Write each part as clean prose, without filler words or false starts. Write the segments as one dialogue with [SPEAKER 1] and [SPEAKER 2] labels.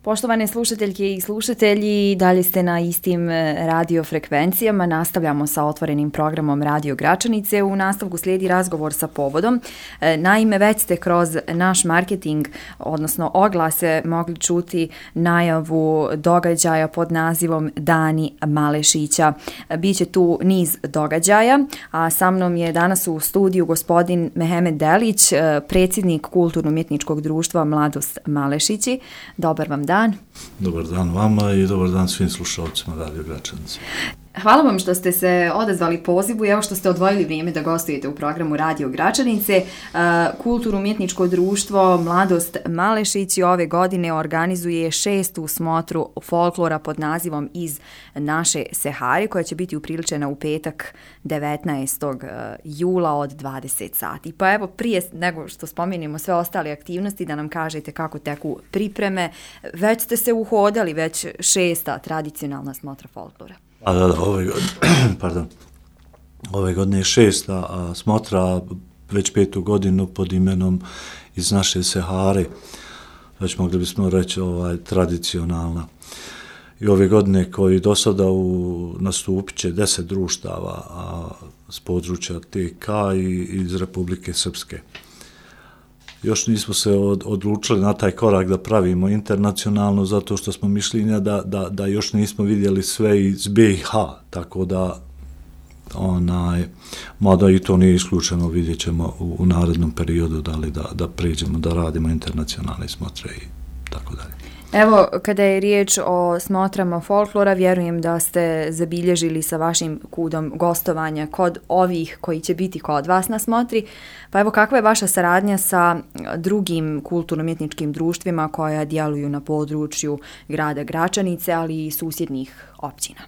[SPEAKER 1] Poštovane slušateljke i slušatelji, dalje ste na istim radio frekvencijama. Nastavljamo sa otvorenim programom Radio Gračanice. U nastavku slijedi razgovor sa povodom. Naime, već ste kroz naš marketing, odnosno oglase, mogli čuti najavu događaja pod nazivom Dani Malešića. Biće tu niz događaja, a sa mnom je danas u studiju gospodin Mehemet Delić, predsjednik Kulturno-umjetničkog društva Mladost Malešići. Dobar vam dan.
[SPEAKER 2] Dobar dan vama i dobar dan svim slušalcima Radio Gračanice.
[SPEAKER 1] Hvala vam što ste se odazvali pozivu i evo što ste odvojili vrijeme da gostujete u programu Radio Gračanice. Kulturno-umjetničko društvo Mladost Malešići ove godine organizuje 6. smotru folklora pod nazivom Iz naše Sehare, koja će biti upriličena u petak 19. jula od 20 sati. Pa evo, prije nego što spomenemo sve ostale aktivnosti, da nam kažete kako teku pripreme. Već ste se uhodali, već 6. tradicionalna smotra folklora.
[SPEAKER 2] Ove godine je 6. smotra, već 5. godinu pod imenom Iz naše Sehare, već mogli bismo reći tradicionalna. I ove godine koji do sada nastupit će 10 društava s područja TK i iz Republike Srpske. Još nismo se odlučili na taj korak da pravimo internacionalno, zato što smo mišljenja da još nismo vidjeli sve iz BiH, tako da mada i to nije isključeno, vidjet ćemo u narednom periodu da pređemo, da radimo internacionalne smotre i tako dalje.
[SPEAKER 1] Evo, kada je riječ o smotrama folklora, vjerujem da ste zabilježili sa vašim kudom gostovanja kod ovih koji će biti kod vas na smotri. Pa evo, kakva je vaša saradnja sa drugim kulturno-umjetničkim društvima koja djeluju na području grada Gračanice, ali i susjednih općina?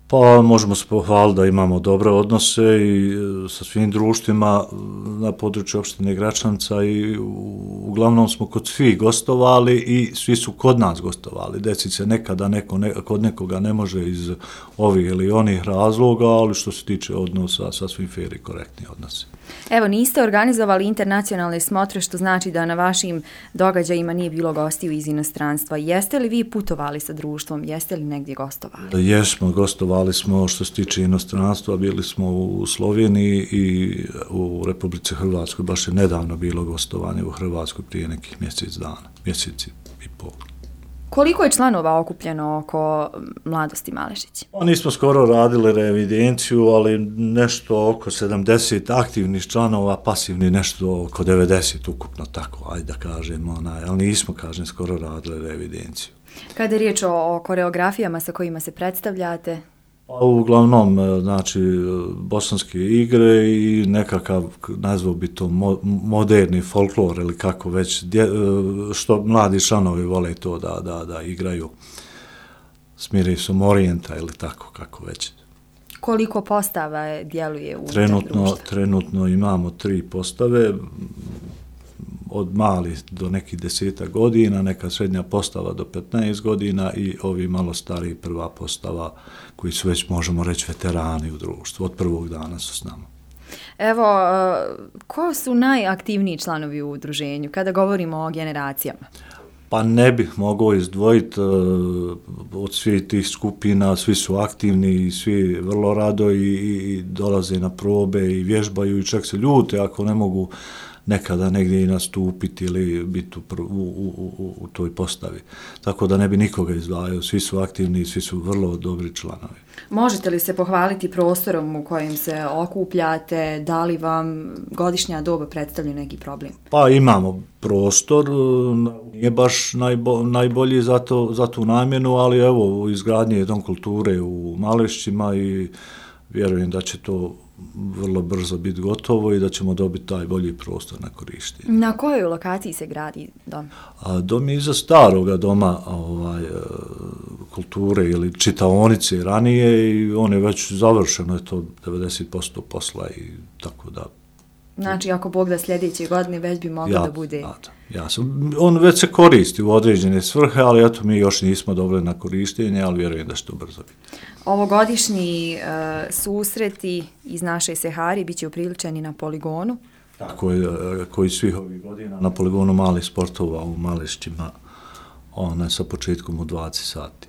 [SPEAKER 2] Pa možemo se pohvaliti da imamo dobre odnose i sa svim društvima na području opštine Gračanica i uglavnom smo kod svih gostovali i svi su kod nas gostovali. Desi se nekada kod nekoga ne može iz ovih ili onih razloga, ali što se tiče odnosa, sasvim fair i korektni odnosi.
[SPEAKER 1] Evo, niste organizovali internacionalne smotre, što znači da na vašim događajima nije bilo gostiju iz inostranstva. Jeste li vi putovali sa društvom? Jeste li negdje gostovali?
[SPEAKER 2] Jesmo, gostovali smo što se tiče inostranstva, bili smo u Sloveniji i u Republici Hrvatskoj. Baš je nedavno bilo gostovanje u Hrvatskoj prije nekih mjeseci i pol.
[SPEAKER 1] Koliko je članova okupljeno oko Mladosti Malešići?
[SPEAKER 2] Nismo skoro radili reevidenciju, ali nešto oko 70 aktivnih članova, pasivni nešto oko 90 ukupno, tako, ajde da kažemo, ali nismo, skoro radili reevidenciju.
[SPEAKER 1] Kada je riječ o koreografijama sa kojima se predstavljate?
[SPEAKER 2] Uglavnom, bosanske igre i nekakav, nazvao bi to moderni folklor ili kako već, što mladi članovi vole to da igraju s mirisom orijenta ili tako kako već.
[SPEAKER 1] Koliko postava djeluje u društvu?
[SPEAKER 2] Trenutno imamo 3 postave, od malih do nekih 10 godina, neka srednja postava do 15 godina i ovi malo stariji prva postava koji su već, možemo reći, veterani u društvu. Od prvog dana su s nama.
[SPEAKER 1] Evo, ko su najaktivniji članovi u udruženju kada govorimo o generacijama?
[SPEAKER 2] Pa ne bih mogao izdvojiti od svih tih skupina, svi su aktivni i svi vrlo rado i dolaze na probe i vježbaju i čak se ljute ako ne mogu nekada negdje i nastupiti ili biti u toj postavi. Tako da ne bi nikoga izdvajao, svi su aktivni i svi su vrlo dobri članovi. Možete
[SPEAKER 1] li se pohvaliti prostorom u kojem se okupljate? Da li vam godišnja doba predstavlja neki problem?
[SPEAKER 2] Pa imamo prostor, nije baš najbolji za tu namjenu, ali evo, u izgradnji je Dom kulture u Malešćima i vjerujem da će to vrlo brzo biti gotovo i da ćemo dobiti taj bolji prostor na korištenje.
[SPEAKER 1] Na kojoj lokaciji se gradi dom?
[SPEAKER 2] Dom je iza staroga doma kulture ili čitaonice ranije i on je već završeno, je to 90% posla i tako da.
[SPEAKER 1] Znači, ako Bog da sljedeće godine već bi moglo da bude.
[SPEAKER 2] On već se koristi u određene svrhe, ali eto mi još nismo dobili na korištenje, ali vjerujem da će to brzo biti.
[SPEAKER 1] Ovogodišnji susreti iz naše Sehare bit će upriličeni na poligonu.
[SPEAKER 2] Tako je, koji svih ovih godina na poligonu malih sportova u Malešćima sa početkom u 20 sati.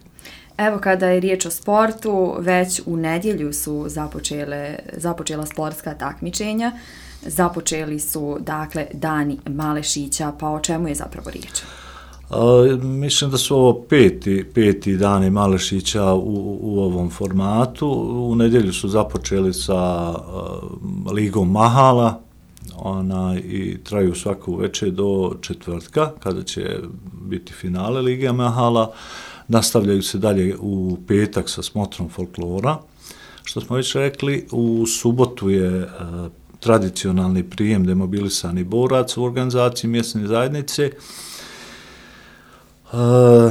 [SPEAKER 1] Evo, kada je riječ o sportu, već u nedjelju su započela sportska takmičenja. Započeli su, dakle, Dani Malešića, pa o čemu je zapravo riječ?
[SPEAKER 2] Mislim da su ovo peti Dani Malešića u ovom formatu. U nedjelju su započeli sa Ligom mahala i traju svaku večer do četvrtka, kada će biti finale Lige mahala. Nastavljaju se dalje u petak sa smotrom folklora. Što smo već rekli, u subotu je tradicionalni prijem demobilisani borac u organizaciji mjesne zajednice.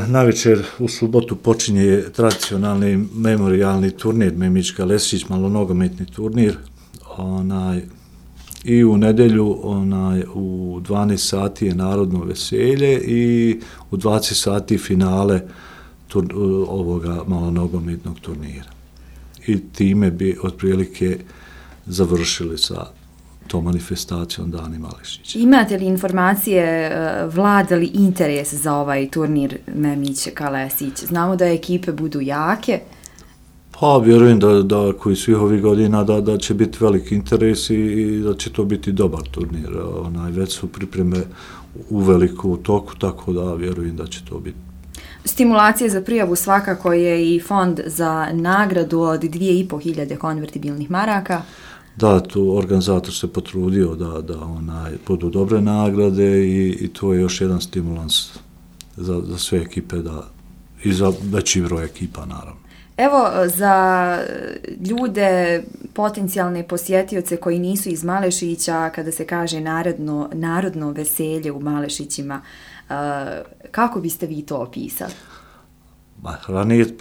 [SPEAKER 2] Navečer u subotu počinje tradicionalni memorijalni turnir Memička Lesić, malonogometni turnir. I u nedjelju u 12 sati je narodno veselje i u 20 sati finale ovoga malonogometnog turnira. I time bi otprilike završili sa tom manifestacijom Dani Malešića.
[SPEAKER 1] Imate li informacije, vlada li interes za ovaj turnir Memička Lesić? Znamo da ekipe budu jake.
[SPEAKER 2] Pa vjerujem da koji svih ovih godina da će biti veliki interes i da će to biti dobar turnir. Već su pripreme u veliku toku, tako da vjerujem da će to biti.
[SPEAKER 1] Stimulacije za prijavu svakako je i fond za nagradu od 2.500 konvertibilnih maraka.
[SPEAKER 2] Da, tu organizator se potrudio da budu dobre nagrade i to je još jedan stimulans za sve ekipe i za veći broj ekipa, naravno.
[SPEAKER 1] Evo, za ljude, potencijalne posjetioce koji nisu iz Malešića, kada se kaže narodno veselje u Malešićima, kako biste vi to opisali?
[SPEAKER 2] Ranije,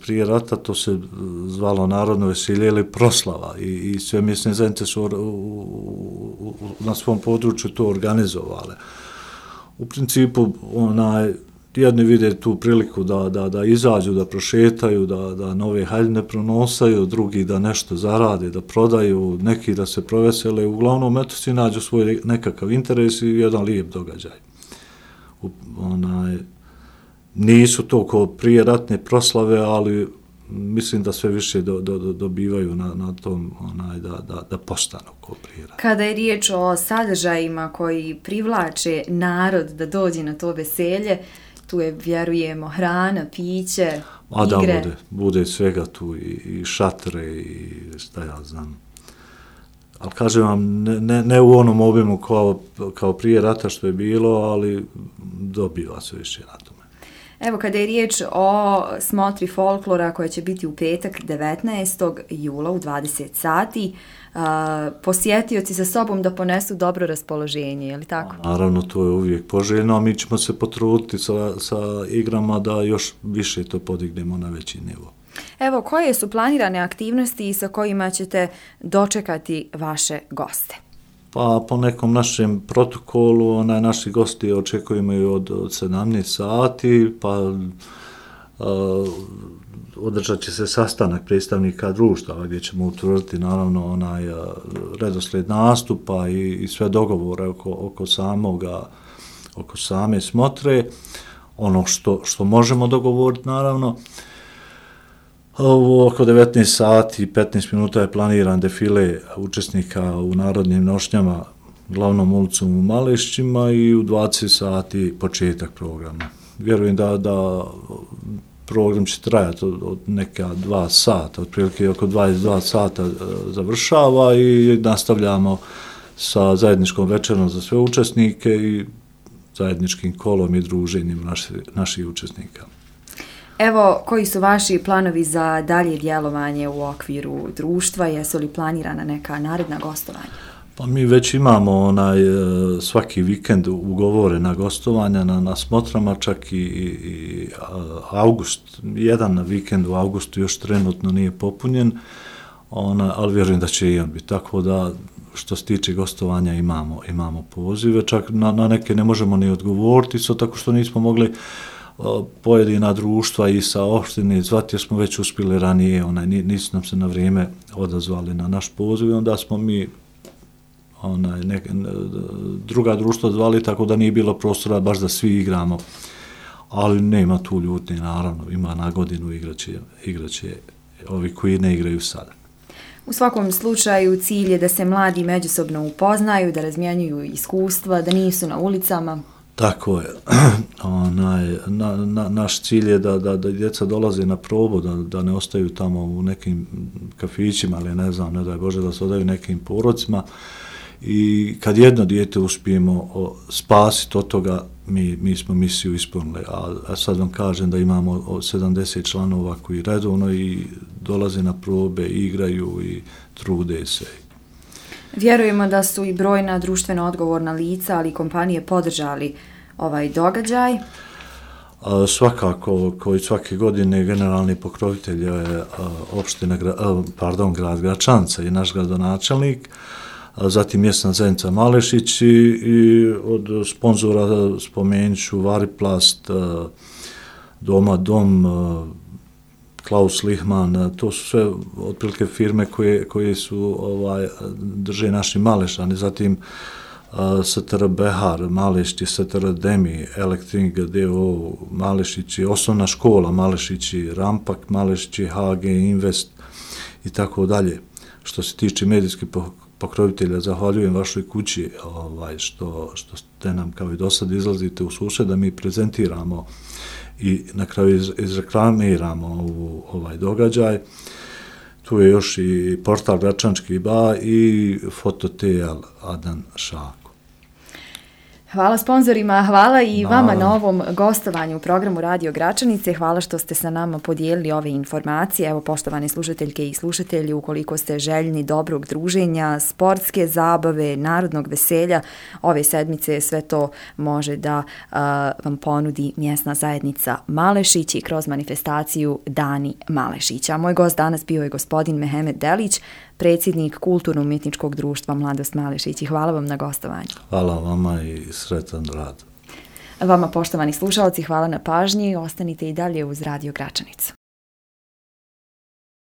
[SPEAKER 2] prije rata, to se zvalo narodno veselje ili proslava i sve mjesne zajednice su na svom području to organizovale. U principu, jedni vide tu priliku da izađu, da prošetaju, da nove haljine pronosaju, drugi da nešto zarade, da prodaju, neki da se provesele. Uglavnom, eto, svi nađu svoj nekakav interes i jedan lijep događaj. Nisu to kao prije ratne proslave, ali mislim da sve više dobivaju na tom da postanu kao prije rata.
[SPEAKER 1] Kada je riječ o sadržajima koji privlače narod da dođe na to veselje, tu je, vjerujemo, hrana, piće, igre.
[SPEAKER 2] Da, bude svega tu i šatre i šta ja znam. Ali kažem vam, ne u onom obimu kao prije rata što je bilo, ali dobiva se više na tome.
[SPEAKER 1] Evo, kada je riječ o smotri folklora koja će biti u petak 19. jula u 20 sati, posjetioci sa sobom da ponesu dobro raspoloženje, je li tako?
[SPEAKER 2] Naravno, to je uvijek poželjno, a mi ćemo se potruditi sa igrama da još više to podignemo na veći nivo.
[SPEAKER 1] Evo, koje su planirane aktivnosti sa kojima ćete dočekati vaše goste?
[SPEAKER 2] Pa po nekom našem protokolu, naši gosti očekujemo i od 17 sati, pa održat će se sastanak predstavnika društava gdje ćemo utvrditi naravno redoslijed nastupa i sve dogovore oko same smotre, ono što možemo dogovoriti naravno. Oko 19 sati i 15 minuta je planiran defile učesnika u narodnim nošnjama glavnom ulicom u Malešićima i u 20 sati početak programa. Vjerujem da program će trajati od neka 2 sata, otprilike oko 22 sata završava i nastavljamo sa zajedničkom večerom za sve učesnike i zajedničkim kolom i druženjem naših učesnika.
[SPEAKER 1] Evo, koji su vaši planovi za dalje djelovanje u okviru društva? Jesu li planirana neka naredna gostovanja?
[SPEAKER 2] Pa mi već imamo svaki vikend ugovorena gostovanja na smotrama, čak i august. Jedan vikend u augustu još trenutno nije popunjen, ali vjerujem da će i on biti. Tako da, što se tiče gostovanja, imamo pozive. Čak na neke ne možemo ni odgovoriti, tako što nismo mogli pojedina društva i sa opštine zvati, jer smo već uspjeli ranije, nisu nam se na vrijeme odazvali na naš poziv i onda smo mi druga društva zvali, tako da nije bilo prostora baš da svi igramo ali nema tu ljutnje, naravno, ima na godinu igraće ovi koji ne igraju sada.
[SPEAKER 1] U svakom slučaju cilj je da se mladi međusobno upoznaju, da razmjenjuju iskustva, da nisu na ulicama.
[SPEAKER 2] Tako je. Naš cilj je da djeca dolaze na probu, da ne ostaju tamo u nekim kafićima, ali ne znam, ne daj Bože, da se odaju nekim porocima. I kad jedno dijete uspijemo spasiti od toga, mi smo misiju ispunili. A sad vam kažem da imamo 70 članova koji redovno i dolaze na probe, igraju i trude se.
[SPEAKER 1] Vjerujemo da su i brojna društveno odgovorna lica, ali i kompanije podržali ovaj događaj.
[SPEAKER 2] Svakako, koji svake godine generalni pokrovitelj je grad Gračanica i naš gradonačelnik, zatim mjesna zajednica Malešić i od sponzora spomenut ću Variplast, Doma Dom, Klaus Lihman, to su sve otprilike firme koje su drže naši Malešani, zatim STR Behar, Malešići, STR Demi, Elektring DO, Malešići, osnovna škola Malešići, Rampak, Malešići, HG Invest i tako dalje. Što se tiče medijskih pokrovitelja, zahvaljujem vašoj kući što ste nam kao i do sad izlazite u susret da mi prezentiramo i na kraju izreklamiramo ovaj događaj. Tu je još i portal Gračančki ba i Fototejal Adan Šako.
[SPEAKER 1] Hvala sponzorima, hvala i vama na ovom gostovanju u programu Radio Gračanice. Hvala što ste sa nama podijelili ove informacije. Evo, poštovane slušateljke i slušatelji, ukoliko ste željni dobrog druženja, sportske zabave, narodnog veselja, ove sedmice sve to može da vam ponudi mjesna zajednica Malešić i kroz manifestaciju Dani Malešića. Moj gost danas bio je gospodin Mehemet Delić, predsjednik Kulturno-umjetničkog društva Mladost Malešić. I hvala vam na gostovanju.
[SPEAKER 2] Hvala vama i sretan rad.
[SPEAKER 1] Vama, poštovani slušalci, hvala na pažnji. Ostanite i dalje uz Radio Gračanicu.